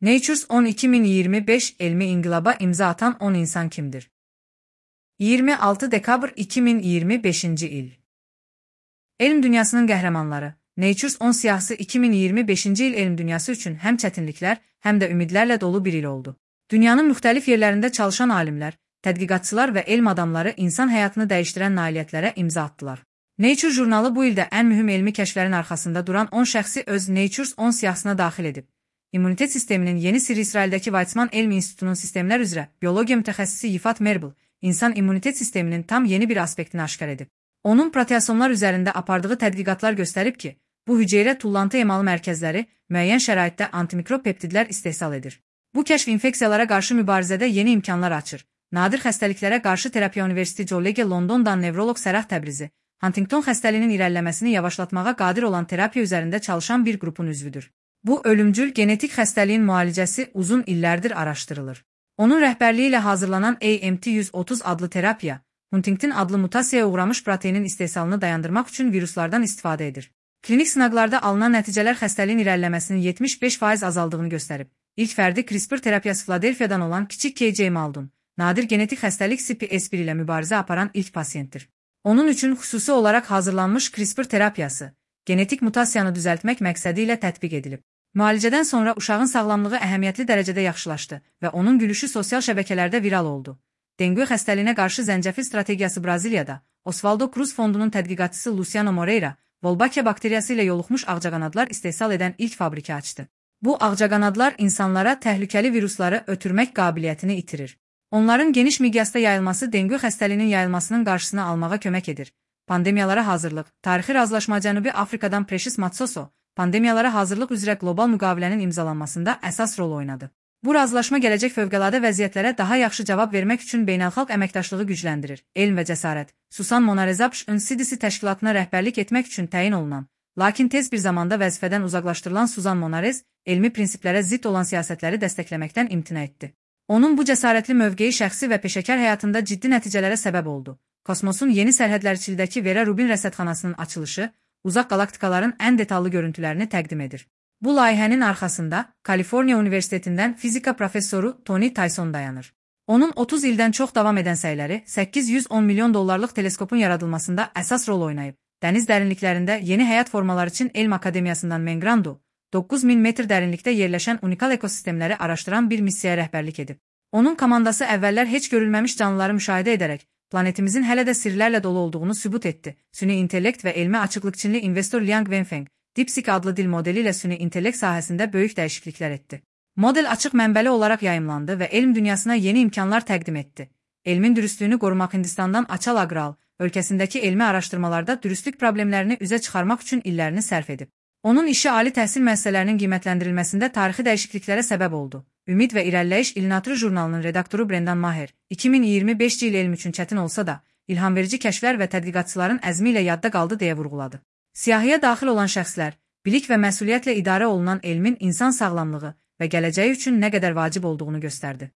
Nature 10 2025 elmi inqilaba imza atan 10 insan kimdir? 26 dekabr 2025 il. Elm dünyasının qəhrəmanları. Nature 10 siyahısı 2025 il elm dünyası üçün həm çətinliklər, həm də ümidlərlə dolu bir il oldu. Dünyanın müxtəlif yerlərində çalışan alimlər, tədqiqatçılar və elm adamları insan həyatını dəyişdirən nailiyyətlərə imza atdılar. Nature jurnalı bu ildə ən mühüm elmi kəşflərin arxasında duran 10 şəxsi öz Nature 10 siyahısına daxil edib. İmmunitet sisteminin yeni sirri İsraildəki Weizmann Elm İnstitutunun sistemlər üzrə biologiya mütəxəssisi Yifat Merbel, insan immunitet sisteminin tam yeni bir aspektini aşkar edib. Onun proteasomlar üzərində apardığı tədqiqatlar göstərib ki, bu hüceyrə tullantı emalı mərkəzləri müəyyən şəraitdə antimikrop peptidlər istehsal edir. Bu kəşf infeksiyalara qarşı mübarizədə yeni imkanlar açır. Nadir xəstəliklərə qarşı terapiya University College Londondan nevroloq Sərah Təbrizi, Huntington xəstəliyinin irəliləməsini yavaşlatmağa qadir olan terapiya üzərində çalışan bir qrupun üzvüdür. Bu ölümcül genetik xəstəliyin müalicəsi uzun illərdir araşdırılır. Onun rəhbərliyi ilə hazırlanan AMT-130 adlı terapiya, Huntington adlı mutasiyaya uğramış proteinin istehsalını dayandırmaq üçün viruslardan istifadə edir. Klinik sınaqlarda alınan nəticələr xəstəliyin irəliləməsinin 75% azaldığını göstərib. İlk fərdi CRISPR terapiyası Philadelphia'dan olan kiçik KJ Maldun, nadir genetik xəstəlik CPS1 ilə mübarizə aparan ilk pasiyentdir. Onun üçün xüsusi olaraq hazırlanmış CRISPR terapiyası, genetik mutasiyanı düzəltmək məqsədi ilə tətbiq edilib. Müalicədən sonra uşağın sağlamlığı əhəmiyyətli dərəcədə yaxşılaşdı və onun gülüşü sosial şəbəkələrdə viral oldu. Dengue xəstəliyinə qarşı zəncəfil strategiyası Braziliyada, Osvaldo Cruz Fondunun tədqiqatçısı Luciano Moreira, Wolbachia bakteriyası ilə yoluxmuş ağcaqanadlar istehsal edən ilk fabriki açdı. Bu ağcaqanadlar insanlara təhlükəli virusları ötürmək qabiliyyətini itirir. Onların geniş miqyasda yayılması dengue xəstəliyinin yayılmasının qarşısını almağa kömək edir. Pandemiyalara hazırlıq, tarixi razılaşma Cənubi Afrikadan Precious Matsoso, pandemiyalara hazırlıq üzrə qlobal müqavilənin imzalanmasında əsas rol oynadı. Bu razılaşma gələcək fövqəladə vəziyyətlərə daha yaxşı cavab vermək üçün beynəlxalq əməkdaşlığı gücləndirir. Elm və cəsarət. Susan Monarezapş CDC təşkilatına rəhbərlik etmək üçün təyin olunan, lakin tez bir zamanda vəzifədən uzaqlaşdırılan Susan Monarez, elmi prinsiplərə zidd olan siyasətləri dəstəkləməkdən imtina etdi. Onun bu cəsarətli mövqeyi şəxsi və peşəkar həyatında ciddi nəticələrə səbəb oldu. Kosmosun yeni sərhədlərçildəki Vera Rubin rəsədxanasının açılışı, uzaq qalaktikaların ən detallı görüntülərini təqdim edir. Bu layihənin arxasında Kaliforniya Universitetindən fizika professoru Tony Tyson dayanır. Onun 30 ildən çox davam edən səyləri $810 milyon teleskopun yaradılmasında əsas rol oynayıb. Dəniz dərinliklərində yeni həyat formaları üçün Elm Akademiyasından Mengrando, 9000 metr dərinlikdə yerləşən unikal ekosistemləri araşdıran bir missiyaya rəhbərlik edib. Onun komandası əvvəllər heç görülməmiş canlıları müşahidə edərək, planetimizin hələ də sirlərlə dolu olduğunu sübut etdi. Süni intellekt və elmi açıqlıqçınlı investor Liang Wenfeng, DeepSeek adlı dil modeli ilə süni intellekt sahəsində böyük dəyişikliklər etdi. Model açıq mənbəli olaraq yayımlandı və elm dünyasına yeni imkanlar təqdim etdi. Elmin dürüstlüyünü qorumaq Hindistandan Achal Agrawal ölkəsindəki elmi araşdırmalarda dürüstlük problemlərini üzə çıxarmaq üçün illərini sərf edib. Onun işi ali təhsil müəssisələrinin qiymətləndirilməsində tarixi dəyişikliklərə səbəb oldu. Ümid və İrəliləyiş İlnature jurnalının redaktoru Brendan Maher, 2025 il elm üçün çətin olsa da, ilhamverici kəşflər və tədqiqatçıların əzmi ilə yadda qaldı deyə vurğuladı. Siyahıya daxil olan şəxslər, bilik və məsuliyyətlə idarə olunan elmin insan sağlamlığı və gələcəyi üçün nə qədər vacib olduğunu göstərdi.